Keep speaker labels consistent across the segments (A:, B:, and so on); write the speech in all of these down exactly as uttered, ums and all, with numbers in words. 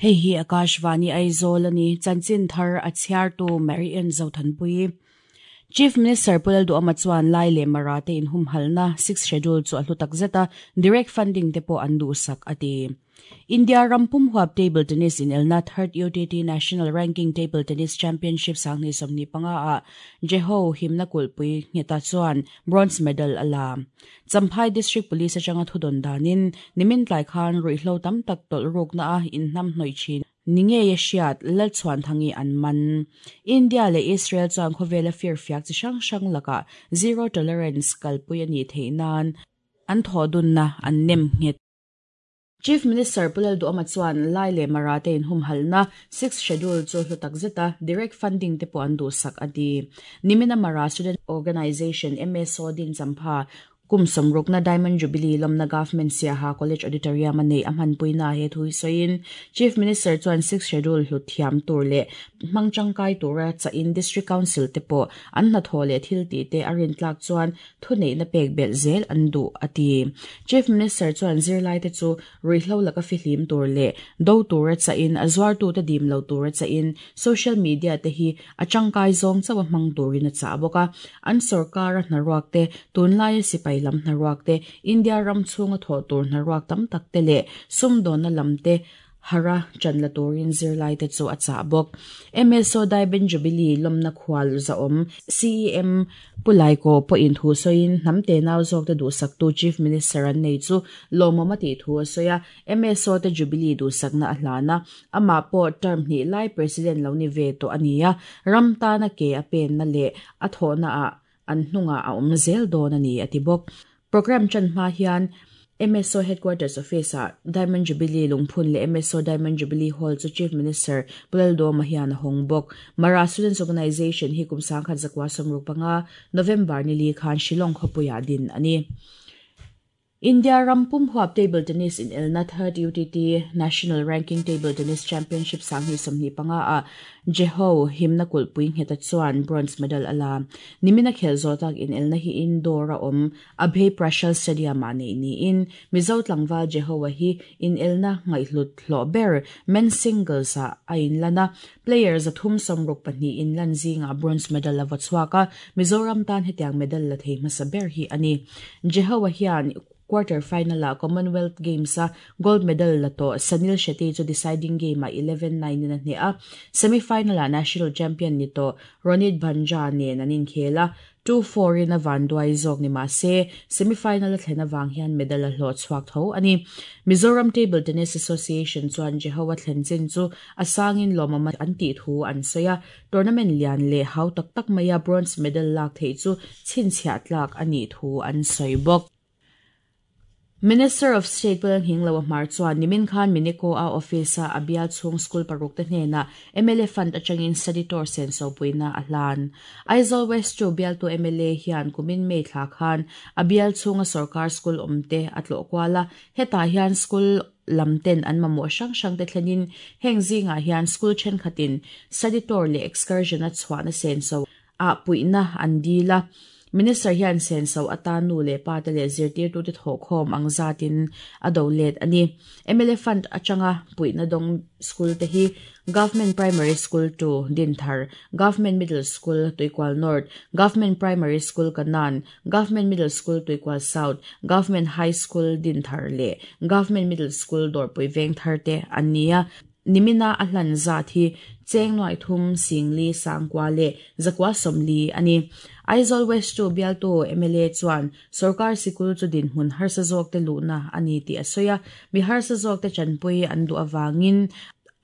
A: Hei hi Akashvani Aizawl ani chanchin thar a chhiartu Marian Zothanpui. Chief Minister Pu Lalduhoma chuan Lai leh Mara te in humhalna sixth schedule chu a hlu takzet a, direct funding te pawh an duhsak a ti. India rampum huap table tennis in elna third U T T National Ranking Table Tennis Championship sanghnih sawmhnih panga ah Jeho himna kulhpui ngheta chuan bronze medal a la. Champhai District Police atanga thudawn danin nimin tlai khan ruihhlo tam tak tawlh rukna a inhnam hnawih thin ni ngei a hriat Lalchhuan thangi an man. India leh Israel chuan khawvela fir fiak chi hrang hrang lakah zero tolerance kalpui a nih theih nan an thaw dunna an nem nghet. Chief Minister Pu Lalduhoma chuan Lai leh Mara te in humhalna sixth schedule chu hlu takzet a, direct funding te pawh an duhsak a ti. Nimina Mara Student Organisation M S O din champha kum sawmrukna Diamond Jubilee lawmna Government Siaha College Auditorium a nei a hmanpuina he thui sawiin Chief Minister chuan sixth schedule hlu thiam tur leh hmang tangkai tura chain District Council te pawh an hnathawh leh thil tih te a rin tlak chuan thu neihna pek belh zel an duh a ti. Chief Minister chuan zirlai te chu ruihhlo laka fihlim tur leh do tura chain a zuar tu te dim lo tura chain social media te hi a tangkai zawng chawa hmang turin a chah bawk a, an sarkar a hnaruak te tunlai a sipai lam hnaruak te India ram chhunga thaw tur hnaruak tam tak te leh sumdawna lam te hara chanla turin zirlai te chu a chah bawk. M S O Diamond Jubilee lawmna khual zaawm C E M Pulaiko pawhin thu sawiin hnam te nau zawk te duhsak tu Chief Minister an nei chu lawmawm a tih thu a sawi a, M S O te Jubilee duhsakna a hlana amah pawh term hnih lai President lo ni ve tawh a ni a, ram tana ke a penna leh a thawhna ah an hnunga a awm zel dawn a ni a ti bawk. Program chan hma hian M S O Headquarters Office ah Diamond Jubilee lungphun leh M S O Diamond Jubilee Hall chu Chief Minister Pu Lalduhoma hian a hawng bawk. Mara Students Organisation hi kum sangkhat zakwa sawmruk panga November ni li khan Shillong khawpuiah din a ni. India rampum huap table tennis in elna third U T T National Ranking Table Tennis Championship sanghnih sawmhnih panga ah Jeho himna kulhpui ngheta chuan bronze medal a la. Nimina khel zawtak in elna hi indoor a awm Abhay Prashal Stadium ah nei niin Mizo tlangval Jeho a hi in elna ngaihhlut hlawh ber men singles ah a inlana players a thum sawmruk pahnih in lan zinga bronze medal a va chhuak a, Mizoram tan hetiang medal la thei hmasa ber hi a ni. Jeho a hian quarter final a Commonwealth Games a gold medal la to Sanil Shetty chu deciding game a eleven nine in a hne a, semi final a national champion ni to Ronit Bhanja nen an inkhela two four in a van duai zawk ni ma se semi final a thlena wang hian medal a hlawh chhuak tho ani. Mizoram Table Tennis Association chuan Jeho a thlen chin chu a sangin lawmawm an tih thu an sawi a, tournament lian leh hau tak tak maia bronze medal lak thei chu chhinchhiah tlak ani thu an sawi bawk. Minister of State Pu Lalnghinglo Hmar chuan nimin khan Miniko a office a abial chhung school paruk te hnena M L A fund atangin study tour sen so puina a hlan. Aizawl West chu bial tu M L A hian kumin May thla khan abial chhunga sarkar school awmte a tlawh kuala, hetah hian school lamten an mamawh hrang hrang te thlenin heng zingah hian school thenkhatin study tour leh excursion a chhuahna sen so a puihna an dil a. Minister hian sen so atan nu leh pa te leh zirtir tu te thawh khawm ang zatin a do let ani. M L A fund atanga puihna dawng school te hi Government Primary School two Dinthar, Government Middle School Tuikual North, Government Primary School Kanan, Government Middle School Tuikual South, Government High School Dinthar leh Government Middle School Dawrpui Vengthar te an ni a. Nimina a hlan zat hi cheng nuai thum singli sangkwa le zakwa somli ani. Aizawl West chu bial tu M L A chuan sarkar sikul chu din hmun harsa zawk te luhna ani tih a sawi a, mi harsa zawk te chanpui an duh awangin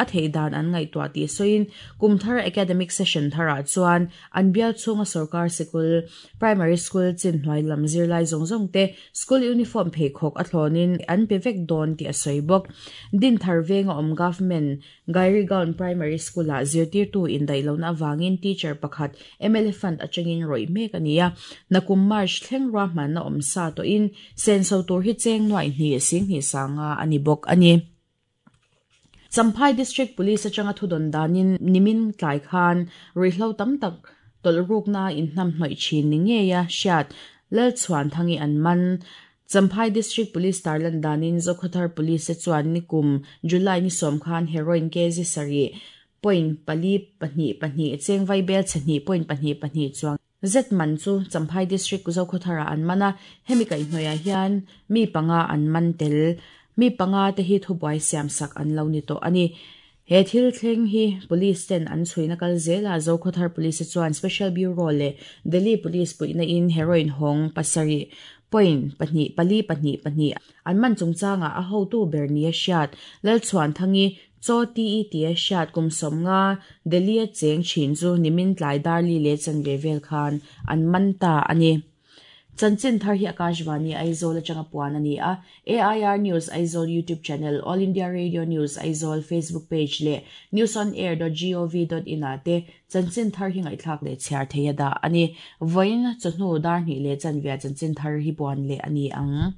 A: a theidan an ngaihtuah tih sawiin kumthar academic session tharah chuan an bial chhunga sarkar sikul primary school chin hnuai lam zirlai zawng zawng te school uniform pheikhawk a thlawnin an pe vek dawn tih a sawi bawk. Dinthar venga awm Government Gairigaon Primary School ah zirtirtu indaih lohna awangin teacher pakhat M L A fund atangin rawih mek a ni a, nakum March thleng ruahmanna awm sa tawhin senso tur hi cheng nuai hnih singhnih sanga a ni bawk a ni. Champhai District Police atanga thudawn danin nimin tlai khan ruihhlo tam tak tawlh rukna inhnam hnawih thin ni ngei a hriat Lalchhuan thangi an man. Champhai District Police tarlan danin Zokhawthar Police chuan nikum July ni sawm khan heroin kg sarih point pali pahnih pahnih cheng vaibel chhnih point pahnih pahnih chuang zet man chu Champhai District Zokhawthar an mana hemi kai hnoia hian mi panga an man tel mi panga te hi thubuai siam sak an lo ni to ani. He thil thleng hi police ten an chhuina kal zela Zokhawthar Police chuan Special Bureau le Delhi Police puina in heroin hong pasari point pahnih pali pahnih pahnih an man chungchanga a hotu ber ni a hriat Lalchhuan thangi chaw ti ti a hriat kum sawmnga Delhi a cheng thin chu nimin tlai darli le chanve vel khan an man ta ani. Chanchin thar hi Akashvani Aizawl atanga puan ani a. A I R News Aizawl YouTube channel, All India Radio News Aizawl Facebook page le news on air dot gov dot in ate chanchin thar hi ngaithlak le chhiar theia da ani. Voin chawhnu dar hnih le chanvia chanchin thar hi puan le ani ang.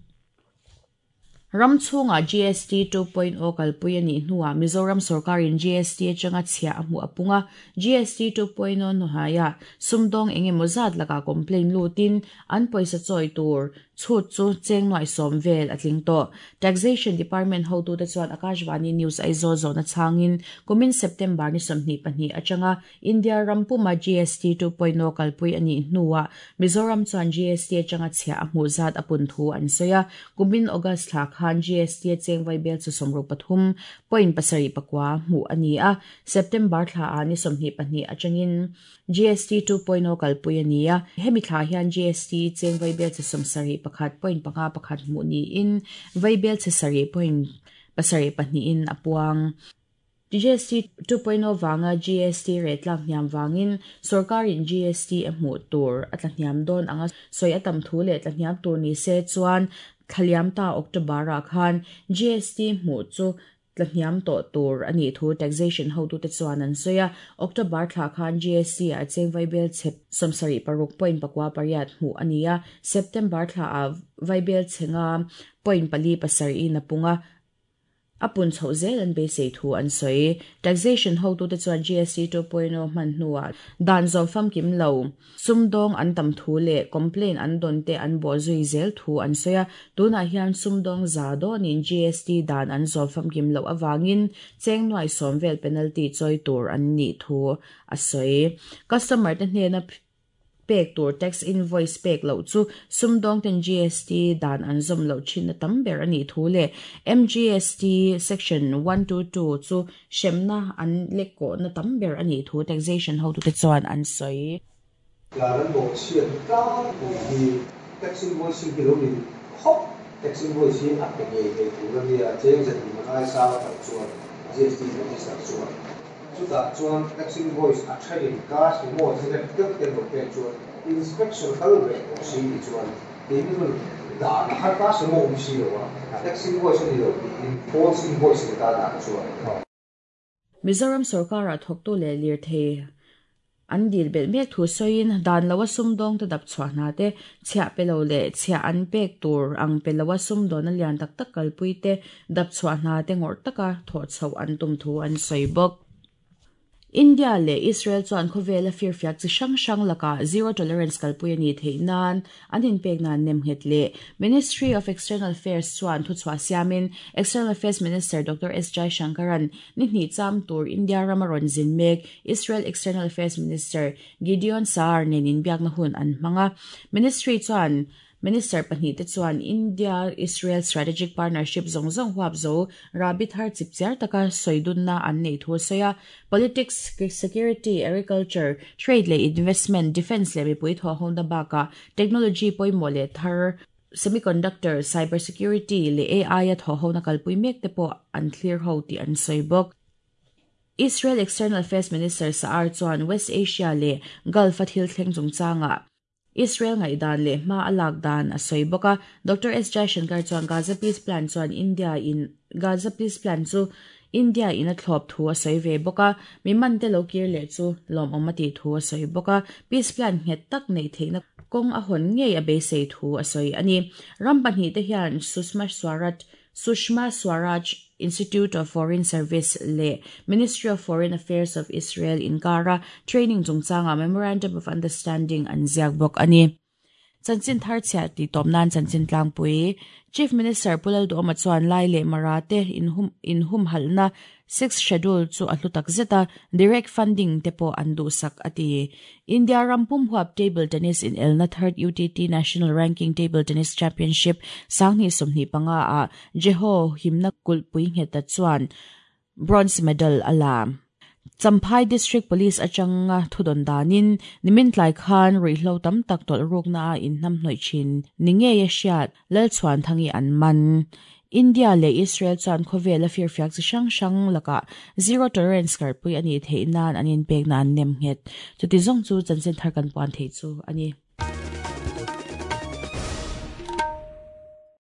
A: Ramchhunga G S T two point oh kalpui ani hnuah Mizoram sarkarin G S T atanga chhia a hmu apunga G S T two point oh hnuaia sumdawng engemaw zat laka complaint lutin an pawisa chawi tur chhut chu cheng nuai sawm vel a tling tawh. Taxation Department hotu te chuan Akashvani News Aizawl zawna changin kumin September ni sawmhnih pahnih atanga India rampuma G S T two point oh kalpui ani hnuah Mizoram chuan G S T atanga chhia a hmu zat a pun thu an sawi a. Kumin August thla khan G S T cheng vaibel chu sawmruk pathum point pasarih pakua hmu ani a. September thla a ni sawmhnih pahnih atangin G S T two point oh kalpui ani a. Hemi thla hian G S T cheng vaibel chu sawmsarih pakhat point panga pakhat hmu niin vaibel che sarih point pasarih pahnih in a puang. G S T two point oh wanga G S T rate tlak hniam wangin sarkarin G S T a hmuh tur a tla hniam dawn anga sawi a tam thu leh tla hniam tur ni se chuan thlaliam ta October ah khan G S T hmuh chu tla hniam tawh tur ani thu taxation hotu te chuan an sawi a. October thla khan G S T a cheng vaibel chep sawmsarih paruk point pakua pariat hmuh ani a. September thla a vaibel chenga point pali pasarih in a punga apun chho zel an beisei thu an sawi. Taxation hotu te chuan G S T two point oh hman hnuah dan zawm famkim lo sumdawng an tam thu leh complaint an dawn te an bawh zui zel thu an sawi a. Tunah hian sumdawng za dawnin G S T dan an zawm famkim loh awangin cheng nuai sawm vel penalty chawi tur an nih thu a sawi. Customer te hnena pek tur tax invoice pek lo chu sumdawng ten G S T dan an zawm lo thin a tam ber ani thu le M G S T section one two two chu hremna an lekkaw na tam ber ani thu taxation hotu te chuan an sawi.
B: Dan an bawh chhiat tlangpui hi tax invoice hi lo ni khawp tax invoice hi a pe ngei ngei tur a nia cheng zahnih man ai sang tak chuan G S T register chuan chutah chuan tax invoice a thenin cash emaw thil deuh te lo pek chuan inspection kal ve tawh si ti chuan keini chuan dan a har cash emaw awm si lo a tax invoice ani lo tiin false invoice ni ta dan chuan.
A: Mizoram sarkar a thawktu leh lirthei an dil bel mek thu sawiin dan lo a sumdawng te dap chhuah hna te chhiah pe lo leh chhiah an pek tur ang pe lo a sumdawn a lian tak tak kalpui te dap chhuah hna te ngawrh taka thawh chhoh an tum thu an sawi bawk. India le Israel chuan khawvel a firfiak chi hrang hrang laka zero tolerance kalpui ani theih nan an inpek nan nem nghet le Ministry of External Affairs chuan thu chhuah siamin External Affairs Minister Doctor S Jaishankaran ni hnih cham tur India rama rawn zin mek Israel External Affairs Minister Gideon Saar nen inbiak na hun an hmanga. Ministry chuan Minister pahnih te chuan India Israel Strategic Partnership zawng zawng huap zo rabi thar chipchiar taka sawidunna an nei thu sawi a. Politics, security, agriculture, trade leh investment, defense leh mipui thaw hona baka technology pawimawh leh thar semiconductor, cyber security leh A I a thaw hona kalpui mek te pawh an thlir ho tih an sawi bawk. Israel External Affairs Minister Saar chuan West Asia leh Gulf a thil thleng chungchanga Israel ngai dan leh hma a lak dan a sawi bawk a. Doctor S Jaishankar chuan Gaza Peace Plan chuan India in Gaza Peace Plan chu India in a thlawp thu a sawi ve bawk a. Mi man te lo kir leh chu lawm awm a tih thu a sawi bawk a. Peace Plan nghet tak nei theihna kawng a hawn ngei a beisei thu a sawi ani. Ram pahnih te hian Sushma Swaraj Sushma Swaraj Institute of Foreign Service le Ministry of Foreign Affairs of Israel inkara training chungchanga Memorandum of Understanding an ziak bawk ani. Chanchin thar chhia ti tawp nan chanchin tlangpui. Chief Minister Pu Lalduhoma chuan Lai leh Mara te inhum inhumhalhna Sixth Schedule chu a hlu tak zet a, direct funding te pawh an duhsak a ti. India ram pum huap table tennis in elna third U T T National Ranking Table Tennis Championship sanghnih sawmhnih panga ah Jeho himna kulhpui ngheta chuan bronze medal a la. Champhai District Police atanga thudawn danin nimin tlai khan ruihhlo tam tak tawlh rukna a inhnamhnawih thin ni ngei a hriat Lalchhuanthangi an man. India leh Israel chuan khawvel a firfiak chi hrang hrang lakah zero tolerance karpui a nih theih nan an inpekna an nem nghet. Chuti zawng chu chanchin thar kan puan thei chu a ni.